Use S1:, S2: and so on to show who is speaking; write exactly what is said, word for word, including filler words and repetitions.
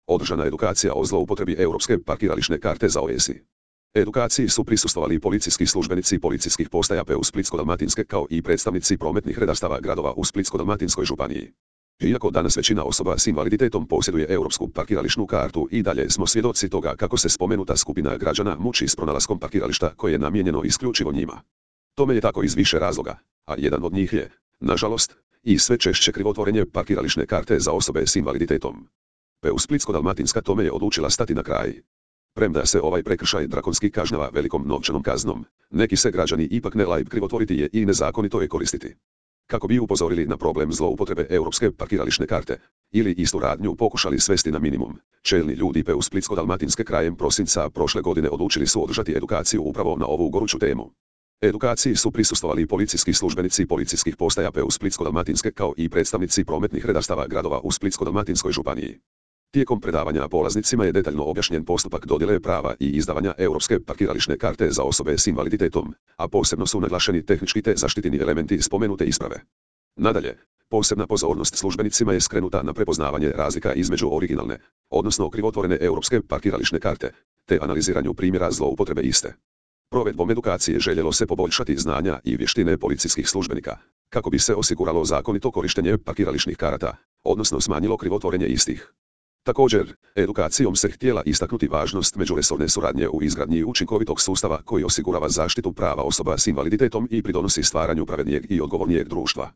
S1: održana edukacija o zloupotrebi europske parkirališne karte za O E S I. Edukaciji su prisustvovali policijski službenici policijskih postaja P U Splitsko-dalmatinske kao i predstavnici prometnih redastava gradova u Splitsko-dalmatinskoj županiji. Iako danas većina osoba s invaliditetom posjeduje europsku parkirališnu kartu, i dalje smo svjedoci toga kako se spomenuta skupina građana muči s pronalaskom parkirališta koje je namijenjeno isključivo njima. Tome je tako iz više razloga, a jedan od njih je, nažalost, i sve češće krivotvorenje parkirališne karte za osobe s invaliditetom. P U Splitsko-dalmatinska tome je odlučila stati na kraj. Premda se ovaj prekršaj drakonski kažnjava velikom novčanom kaznom, neki se građani ipak ne laju krivotvoriti je i nezakonito je koristiti. Kako bi upozorili na problem zloupotrebe europske parkirališne karte, ili istu radnju pokušali svesti na minimum, čelni ljudi P U Splitsko-dalmatinske krajem prosinca prošle godine odlučili su održati edukaciju upravo na ovu goruću temu. Edukaciji su prisustvovali policijski službenici policijskih postaja P U Splitsko-dalmatinske kao i predstavnici prometnih redastava gradova u Splitsko-dalmatinskoj županiji. Tijekom predavanja polaznicima je detaljno objašnjen postupak dodjele prava i izdavanja europske parkirališne karte za osobe s invaliditetom, a posebno su naglašeni tehnički te zaštitni elementi spomenute isprave. Nadalje, posebna pozornost službenicima je skrenuta na prepoznavanje razlika između originalne, odnosno krivotvorene europske parkirališne karte, te analiziranju primjera zloupotrebe iste. Provedbom edukacije željelo se poboljšati znanja i vještine policijskih službenika, kako bi se osiguralo zakonito korištenje parkirališnih karata, odnosno smanjilo krivotvorenje istih. Također, edukacijom se htjela istaknuti važnost međuresorne suradnje u izgradnji učinkovitog sustava koji osigurava zaštitu prava osoba s invaliditetom i pridonosi stvaranju pravednijeg i odgovornijeg društva.